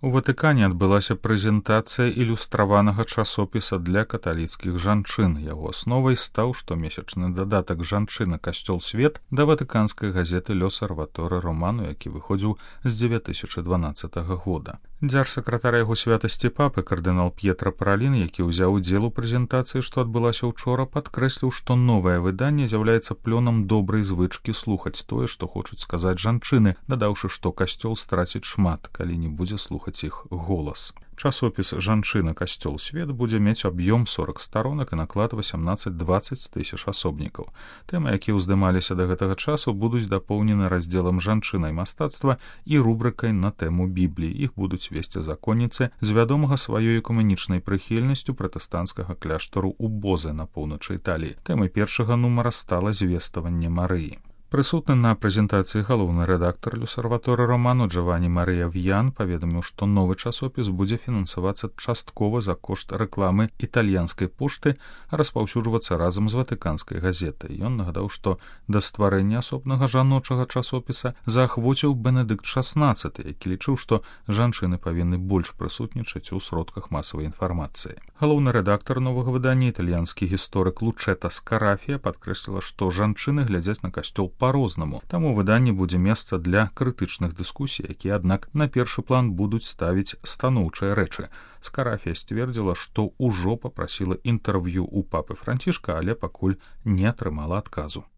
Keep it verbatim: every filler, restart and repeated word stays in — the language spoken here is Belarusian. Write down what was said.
У Ватыкане адбылася прэзентацыя ілюстраванага часопіса для каталіцкіх жанчын. Яго асновай стаў штомесячны дадатак «Жанчына. Касцёл. Свет» да ватыканскай газеты «L'Osservatore Romano», які выходзіў з дзве тысячы дванаццатага года. Дзяржсакратар яго святасці папы кардынал П'етра Паралін, які ўзяў удзел у прэзентацыі, што адбылася ўчора, падкрэсліў, што новае выданне з'яўляецца плёнам добрай звычкі слухаць тое, што хочуць сказаць жанчыны, дадаўшы, што касцёл страціць шмат, калі не будзе слухаць іх голас. Часопіс «Жанчына. Касцёл. Свет» будзе мець аб'ём сорок старонак і наклад васямнаццаць-дваццаць тысяч асобнікаў. Тэмы, якія ўздымаліся да гэтага часу, будуць дапоўнены раздзелам «Жанчына і мастацтва» і рубрыкай на тэму Бібліі. Іх будуць весці законніцы з вядомага сваёй экуменічнай прыхільнасцю пратэстанцкага кляштару ў Бозе на поўначы Італіі. Тэмай першага нумара стала звеставанне Марыі. Прысутны на прэзентацыі галоўны рэдактар «L'Osservatore Romano» Джавані Марыя В'ян паведаміў, што новы часопіс будзе фінансавацца часткова за кошт рэкламы італьянскай пошты, а распаўсюджвацца разам з ватыканскай газетай. Ён нагадаў, што да стварэння асобнага жаночага часопіса заахвоціў Бенедыкт шаснаццаты, які лічыў, што жанчыны павінны больш прысутнічаць у сродках масавай інфармацыі. Галоўны рэдактар новага выдання, італьянскі гісторык Лучэта Скарафія, падкрэсліла, што жанчыны глядзяць на касцёл па-рознаму. Таму ў выданні будзе месца для крытычных дыскусій, якія, аднак, на першы план будуць ставіць станоўчыя рэчы. Скарафія сцвердзіла, што ўжо папрасіла інтэрв'ю ў папы Францішка, але пакуль не атрымала адказу.